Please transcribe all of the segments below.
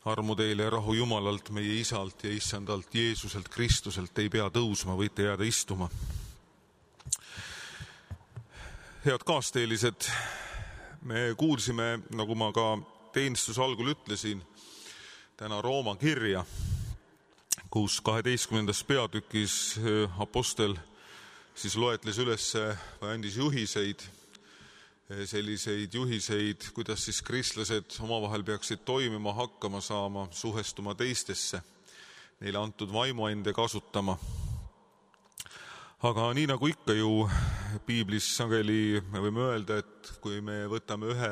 Armu teile ja rahu Jumalalt, meie Isalt ja Issandalt Jeesuselt Kristuselt. Ei pea tõusma, võite jääda istuma. Head kaasteelised, me kuulsime, nagu ma ka teenistuse algul ütlesin, täna Rooma kirja, kus 12. peatükis apostel siis loetles üles või andis juhiseid, selliseid juhiseid, kuidas siis kristlased omavahel peaksid toimima, hakkama saama, suhestuma teistesse, neile antud vaimuande kasutama. Aga nii nagu ikka ju piiblis sageli me võime öelda, et kui me võtame ühe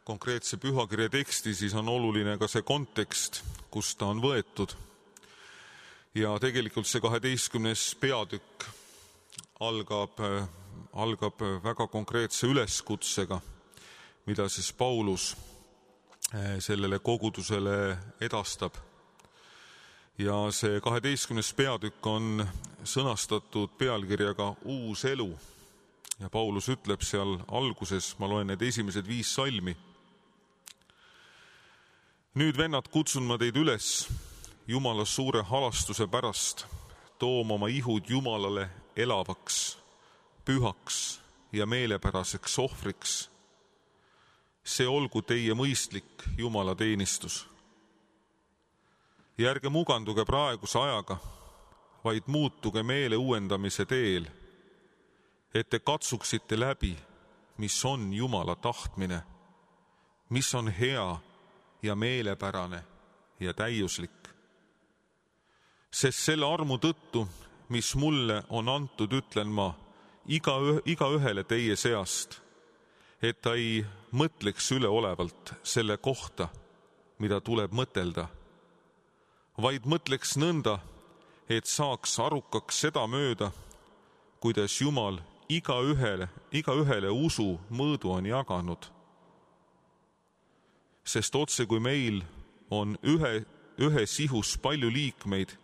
konkreetse pühakirja teksti, siis on oluline ka see kontekst, kus ta on võetud. Ja tegelikult see 12. peatükk algab väga konkreetse üleskutsega, mida siis Paulus sellele kogudusele edastab. Ja see 12. peatükk on sõnastatud pealkirjaga Uus elu. Ja Paulus ütleb seal alguses, ma loen need esimesed 5 salmi. Nüüd, vennad, kutsun ma teid üles Jumala suure halastuse pärast tooma oma ihud Jumalale elavaks, pühaks ja meelepäraseks ohvriks. See olgu teie mõistlik Jumala teenistus. Ja ärge muganduge praeguse ajaga, vaid muutuge meele uuendamise teel, et te katsuksite läbi, mis on Jumala tahtmine, mis on hea ja meelepärane ja täiuslik. Sest selle armu tõttu, mis mulle on antud, ütlen ma igaühele teie seast, et ta ei mõtleks üleolevalt selle kohta, mida tuleb mõtelda, vaid mõtleks nõnda, et saaks arukaks seda mööda, kuidas Jumal igaühele usu mõõdu on jaganud. Sest otse kui meil on ühes ihus palju liikmeid,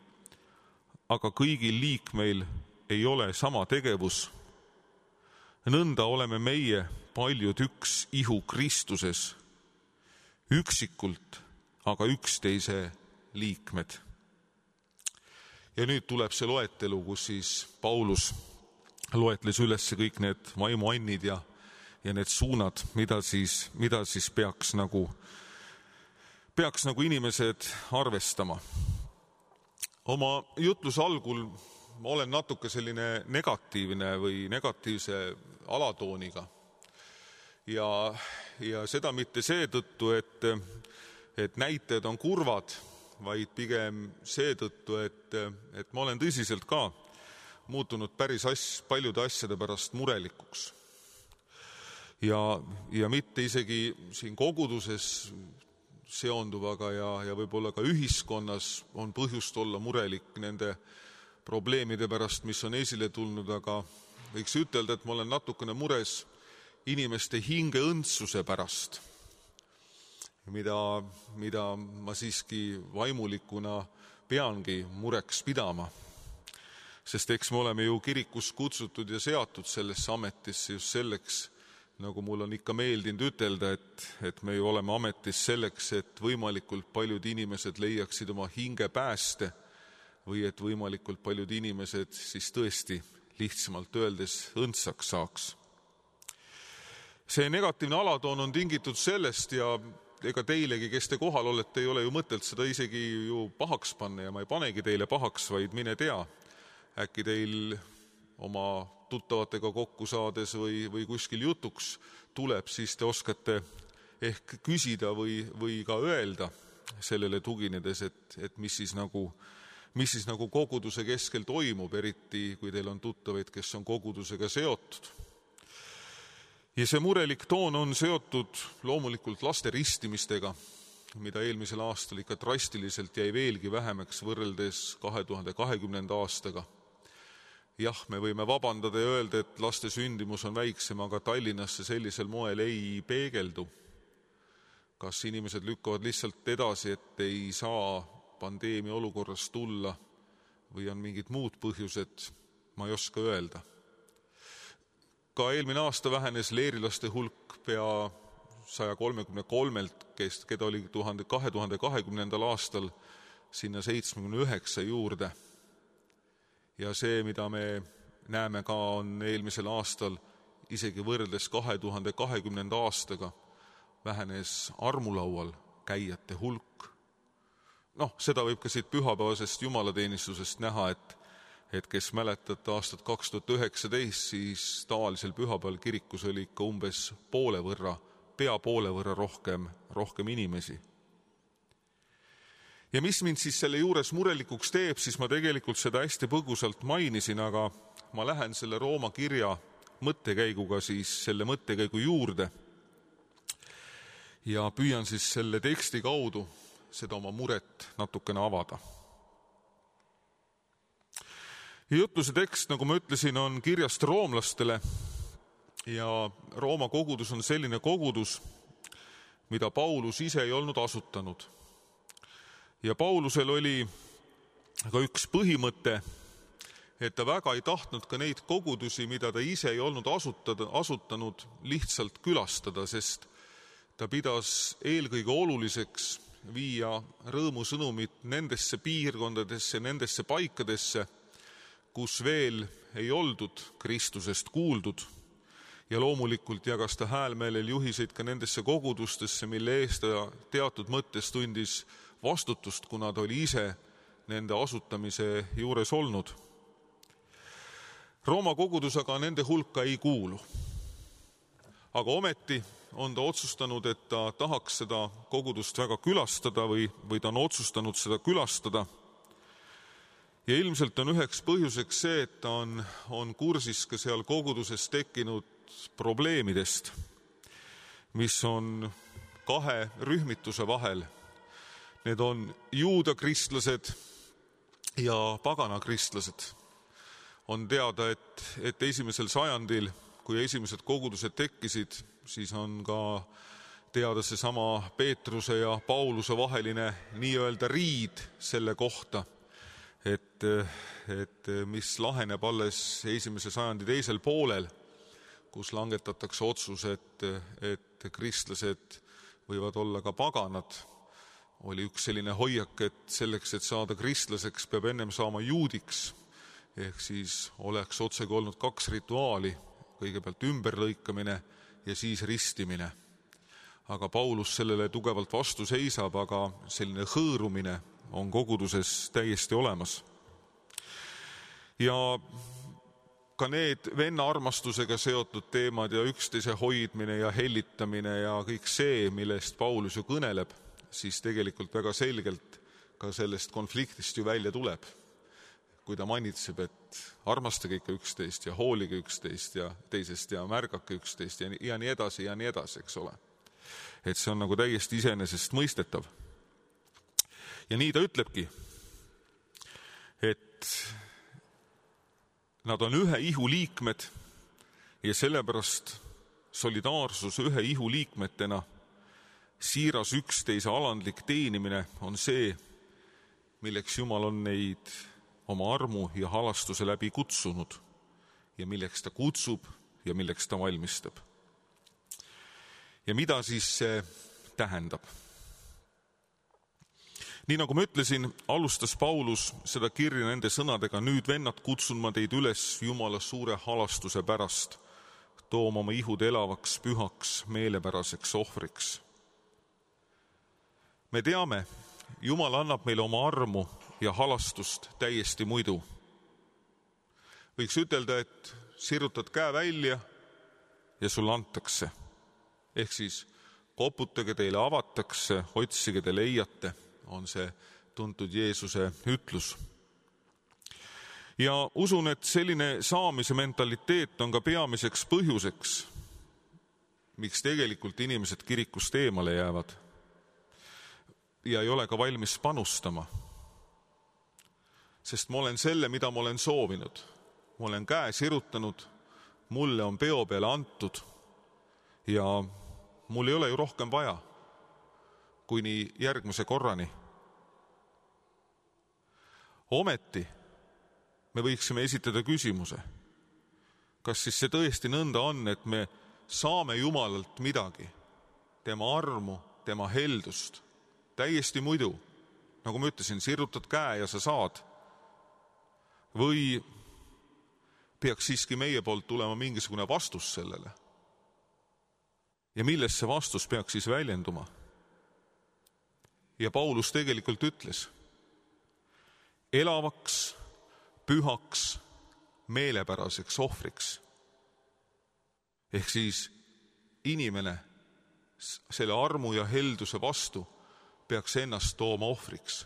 aga kõigil liikmeil ei ole sama tegevus, nõnda oleme meie paljud üks ihu Kristuses, üksikult, aga üksteise liikmed. Ja nüüd tuleb see loetelu, kus siis Paulus loetles üles kõik need vaimuannid ja need suunad, mida siis peaks nagu inimesed arvestama. Oma jutluse algul ma olen natuke selline negatiivne või negatiivse alatooniga. Ja seda mitte seetõttu, et näitajad on kurvad, vaid pigem seetõttu, et ma olen tõsiselt ka muutunud päris paljude asjade pärast murelikuks. Ja mitte isegi siin koguduses seonduvaga ja võib-olla ka ühiskonnas on põhjust olla murelik nende probleemide pärast, mis on esile tulnud, aga võiks ütelda, et ma olen natukene mures inimeste hinge õndsuse pärast, mida ma siiski vaimulikuna peangi mureks pidama. Sest eks me oleme ju kirikus kutsutud ja seatud sellesse ametisse just selleks, nagu mul on ikka meeldinud ütelda, et me ju oleme ametis selleks, et võimalikult paljud inimesed leiaksid oma hinge pääste või et võimalikult paljud inimesed siis tõesti lihtsamalt öeldes õndsaks saaks. See negatiivne alatoon on tingitud sellest ja ega teilegi, kes te kohal olete, ei ole ju mõtelt seda isegi ju pahaks panna ja ma ei panegi teile pahaks, vaid mine tea, äkki teil oma tuttavatega kokku saades või kuskil jutuks tuleb, siis te oskate ehk küsida või ka öelda sellele tuginedes, et mis siis nagu koguduse keskel toimub, eriti kui teil on tuttavaid, kes on kogudusega seotud. Ja see murelik toon on seotud loomulikult laste ristimistega, mida eelmisel aastal ikka drastiliselt jäi veelgi vähemaks võrreldes 2020. aastaga. Jah, me võime vabandada ja öelda, et laste sündimus on väiksem, aga Tallinnasse sellisel moel ei peegeldu. Kas inimesed lükkavad lihtsalt edasi, et ei saa pandeemia olukorras tulla või on mingid muud põhjused, ma ei oska öelda. Ka eelmine aasta vähenes leerilaste hulk pea 133-lt, keda oli 2020. aastal sinna 79 juurde. Ja see, mida me näeme ka, on eelmisel aastal isegi võrreldes 2020. aastaga vähenes armulaual käijate hulk. Seda võib ka siit pühapäevasest jumalateenistusest näha, et kes mäletate aastat 2019, siis tavalisel pühapäeval kirikus oli ikka umbes pea poole võrra rohkem inimesi. Ja mis mind siis selle juures murelikuks teeb, siis ma tegelikult seda hästi põgusalt mainisin, aga ma lähen selle Rooma kirja mõttekäiguga siis selle mõttekäigu juurde ja püüan siis selle teksti kaudu seda oma muret natukene avada. Ja jutluse tekst, nagu ma ütlesin, on kirjast roomlastele ja Rooma kogudus on selline kogudus, mida Paulus ise ei olnud asutanud. Ja Paulusel oli ka üks põhimõte, et ta väga ei tahtnud ka neid kogudusi, mida ta ise ei olnud asutanud, lihtsalt külastada, sest ta pidas eelkõige oluliseks viia rõõmusõnumit nendesse piirkondadesse, nendesse paikadesse, kus veel ei oldud Kristusest kuuldud. Ja loomulikult jagas ta häälmeelel juhiseid ka nendesse kogudustesse, mille eest ta teatud mõttes tundis vastutust, kuna ta oli ise nende asutamise juures olnud. Rooma kogudus aga nende hulka ei kuulu. Aga ometi on ta otsustanud, et ta tahaks seda kogudust väga külastada või ta on otsustanud seda külastada. Ja ilmselt on üheks põhjuseks see, et ta on kursis ka seal koguduses tekkinud probleemidest, mis on kahe rühmituse vahel. Need on juuda kristlased ja pagana kristlased. On teada, et esimesel sajandil, kui esimesed kogudused tekkisid, siis on ka teada seesama Peetruse ja Pauluse vaheline nii-öelda riid selle kohta, et mis laheneb alles esimese sajandi teisel poolel, kus langetatakse otsus, et kristlased võivad olla ka paganad. Oli üks selline hoiak, et selleks, et saada kristlaseks, peab ennem saama juudiks, ehk siis oleks otsegi olnud 2 rituaali, kõigepealt ümberlõikamine ja siis ristimine. Aga Paulus sellele tugevalt vastu seisab, aga selline hõõrumine on koguduses täiesti olemas. Ja ka need venna armastusega seotud teemad ja üksteise hoidmine ja hellitamine ja kõik see, millest Paulus ju kõneleb, siis tegelikult väga selgelt ka sellest konfliktist ju välja tuleb. Kui ta manitseb, et armastage ikka üksteist ja hoolige üksteist ja teisest ja märgake üksteist ja nii edasi, eks ole. Et see on nagu täiesti iseenesest mõistetav. Ja nii ta ütlebki, et nad on ühe ihu liikmed ja sellepärast solidaarsus ühe ihu liikmetena, siiras üksteise alandlik teenimine on see, milleks Jumal on neid oma armu ja halastuse läbi kutsunud ja milleks ta kutsub ja milleks ta valmistab. Ja mida siis see tähendab? Nii nagu ma ütlesin, alustas Paulus seda kirja nende sõnadega: nüüd, vennad, kutsun ma teid üles Jumala suure halastuse pärast, tooma oma ihud elavaks, pühaks, meelepäraseks ohvriks. Me teame, Jumal annab meile oma armu ja halastust täiesti muidu. Võiks ütelda, et sirutad käe välja ja sulle antakse. Ehk siis koputage, teile avatakse, otsige, te leiate, on see tuntud Jeesuse ütlus. Ja usun, et selline saamise mentaliteet on ka peamiseks põhjuseks, miks tegelikult inimesed kirikust eemale jäävad ja ei ole ka valmis panustama. Sest ma olen selle, mida ma olen soovinud. Ma olen käe sirutanud, mulle on peo peale antud ja mul ei ole ju rohkem vaja kuni järgmise korrani. Ometi me võiksime esitada küsimuse, kas siis see tõesti nõnda on, et me saame Jumalalt midagi, tema armu, tema heldust. Täiesti muidu, nagu ma ütlesin, sirutad käe ja sa saad. Või peaks siiski meie poolt tulema mingisugune vastus sellele? Ja milles see vastus peaks siis väljenduma? Ja Paulus tegelikult ütles, elavaks, pühaks, meelepäraseks ohvriks. Ehk siis inimene selle armu ja helduse vastu peaks ennast tooma ohvriks.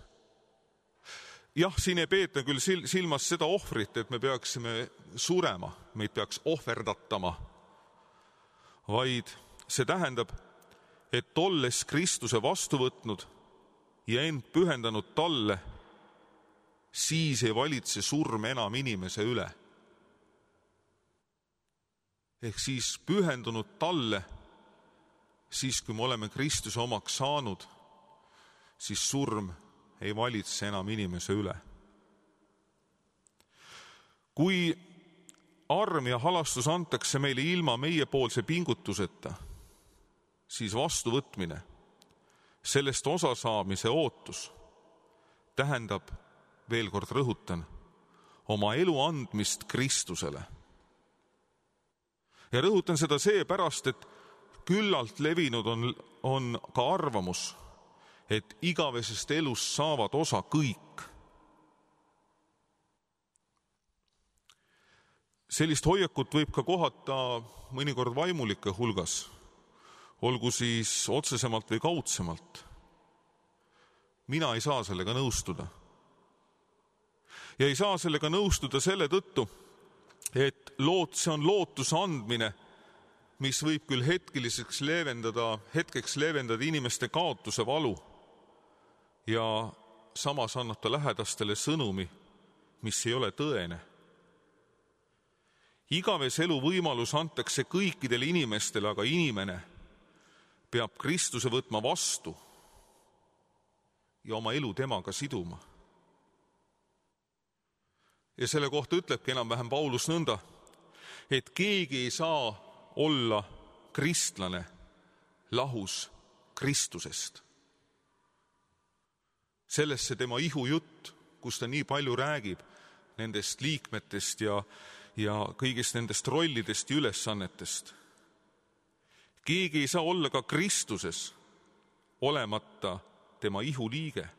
Jah, siin ei peeta küll silmas seda ohvrit, et me peaksime surema, meid peaks ohverdatama, vaid see tähendab, et olles Kristuse vastu võtnud ja end pühendanud talle, siis ei valitse surm enam inimese üle. Ehk siis pühendunud talle, siis kui me oleme Kristuse omaks saanud, siis surm ei valitse enam inimese üle. Kui arm ja halastus antakse meile ilma meiepoolse pingutuseta, siis vastuvõtmine, sellest osa saamise ootus tähendab, veel kord rõhutan, oma elu andmist Kristusele. Ja rõhutan seda seepärast, et küllalt levinud on ka arvamus, et igavesest elust saavad osa kõik. Sellist hoiakut võib ka kohata mõnikord vaimulike hulgas, olgu siis otsesemalt või kaudsemalt. Mina ei saa sellega nõustuda. Ja ei saa sellega nõustuda selle tõttu, et see on lootuse andmine, mis võib küll hetkeks leevendada inimeste kaotuse valu ja samas annab ta lähedastele sõnumi, mis ei ole tõene. Igaves elu võimalus antakse kõikidele inimestele, aga inimene peab Kristuse võtma vastu ja oma elu temaga siduma. Ja selle kohta ütlebki enam-vähem Paulus nõnda, et keegi ei saa olla kristlane lahus Kristusest. Sellesse tema ihujutt, kus ta nii palju räägib nendest liikmetest ja kõigist nendest rollidest ja ülesannetest. Keegi ei saa olla ka Kristuses olemata tema ihu liige.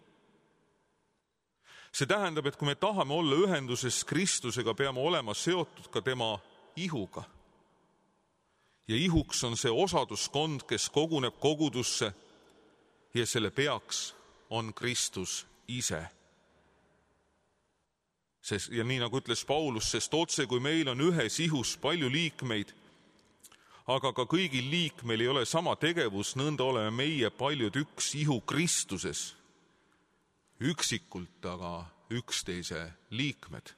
See tähendab, et kui me tahame olla ühenduses Kristusega, peame olema seotud ka tema ihuga. Ja ihuks on see osaduskond, kes koguneb kogudusse ja selle peaks on Kristus ise. Ja nii nagu ütles Paulus, sest otse kui meil on ühes ihus palju liikmeid, aga ka kõigil liikmeil ei ole sama tegevus, nõnda oleme meie paljud üks ihu Kristuses, üksikult, aga üksteise liikmed.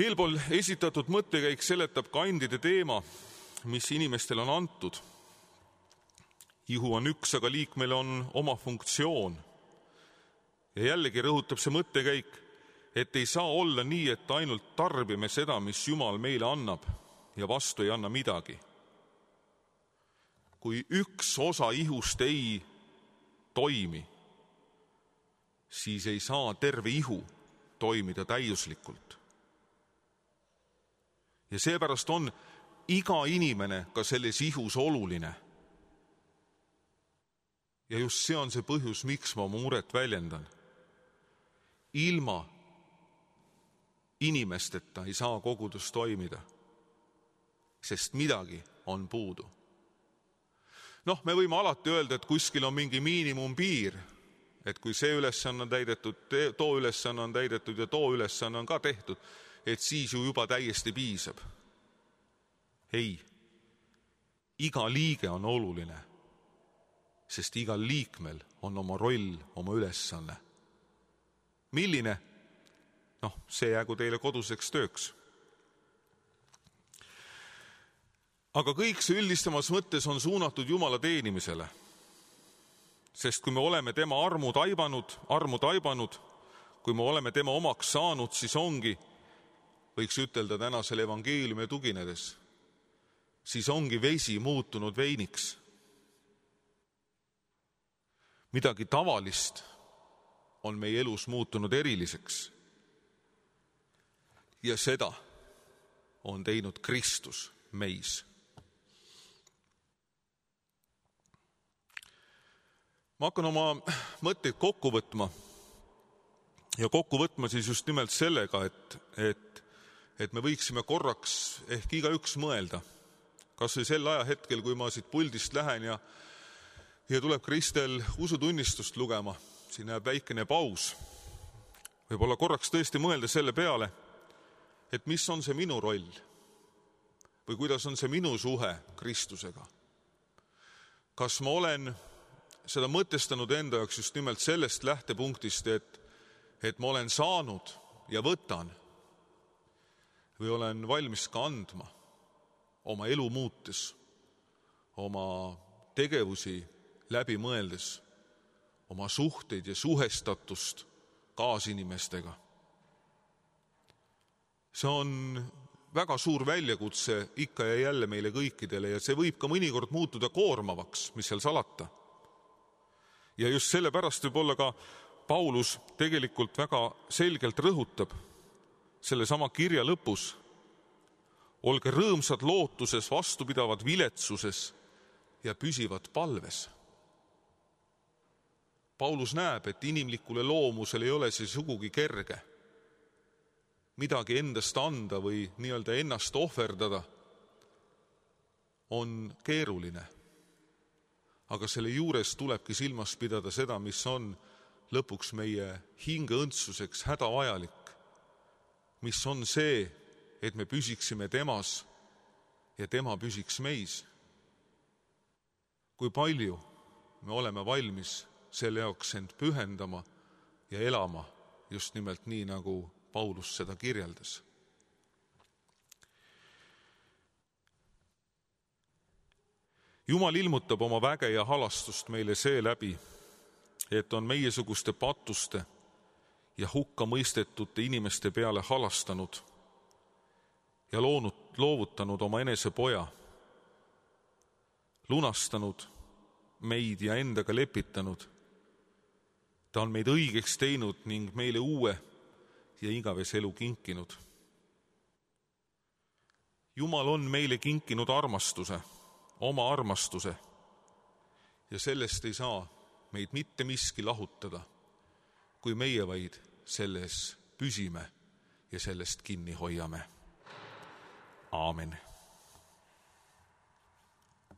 Eelpool esitatud mõttekäik seletab kandide teema, mis inimestel on antud. Ihu on üks, aga liikmel on oma funktsioon. Ja jällegi rõhutab see mõttekäik, et ei saa olla nii, et ainult tarbime seda, mis Jumal meile annab ja vastu ei anna midagi. Kui üks osa ihust ei toimi, siis ei saa terve ihu toimida täiuslikult. Ja seepärast on iga inimene ka selles ihus oluline. Ja just see on see põhjus, miks ma muret väljendan. Ilma inimesteta ei saa kogudus toimida, sest midagi on puudu. Me võime alati öelda, et kuskil on mingi miinimumpiir, et kui see ülesanne on täidetud, too ülesanne on täidetud ja too ülesanne on ka tehtud, et siis ju juba täiesti piisab. Ei, iga liige on oluline, sest igal liikmel on oma roll, oma ülesanne. Milline? See jäägu teile koduseks tööks. Aga kõik see üldistamas mõttes on suunatud Jumala teenimisele. Sest kui me oleme tema armu taibanud, kui me oleme tema omaks saanud, siis ongi, võiks ütelda tänasele evangeeliumi tuginedes, siis ongi vesi muutunud veiniks. Midagi tavalist on meie elus muutunud eriliseks. Ja seda on teinud Kristus meis. Ma hakkan oma mõtteid kokku võtma ja kokku võtma siis just nimelt sellega, et me võiksime korraks ehk igaüks mõelda, kas või sel ajahetkel, kui ma siit puldist lähen ja tuleb Kristel usutunnistust lugema, siin näeb väikene paus. Võib-olla korraks tõesti mõelda selle peale, et mis on see minu roll või kuidas on see minu suhe Kristusega. Kas ma olen seda mõtestanud enda jaoks just nimelt sellest lähtepunktist, et ma olen saanud ja võtan või olen valmis ka andma oma elu muutes, oma tegevusi läbi mõeldes, oma suhteid ja suhestatust kaasinimestega. See on väga suur väljakutse ikka ja jälle meile kõikidele ja see võib ka mõnikord muutuda koormavaks, mis seal salata. Ja just sellepärast võib-olla ka Paulus tegelikult väga selgelt rõhutab selle sama kirja lõpus. Olge rõõmsad lootuses, vastupidavad viletsuses ja püsivad palves. Paulus näeb, et inimlikule loomusel ei ole see sugugi kerge. Midagi endast anda või nii-öelda ennast ohverdada on keeruline. Aga selle juures tulebki silmas pidada seda, mis on lõpuks meie hingeõndsuseks hädavajalik. Mis on see, et me püsiksime temas ja tema püsiks meis. Kui palju me oleme valmis selle jaoks end pühendama ja elama just nimelt nii, nagu Paulus seda kirjeldas. Jumal ilmutab oma väge ja halastust meile seeläbi, et on meiesuguste patuste ja hukka mõistetute inimeste peale halastanud ja loovutanud oma enese poja, lunastanud meid ja endaga lepitanud. Ta on meid õigeks teinud ning meile uue ja igavese elu kinkinud. Jumal on meile kinkinud armastuse, oma armastuse, ja sellest ei saa meid mitte miski lahutada, kui meie vaid selles püsime ja sellest kinni hoiame. Aamen.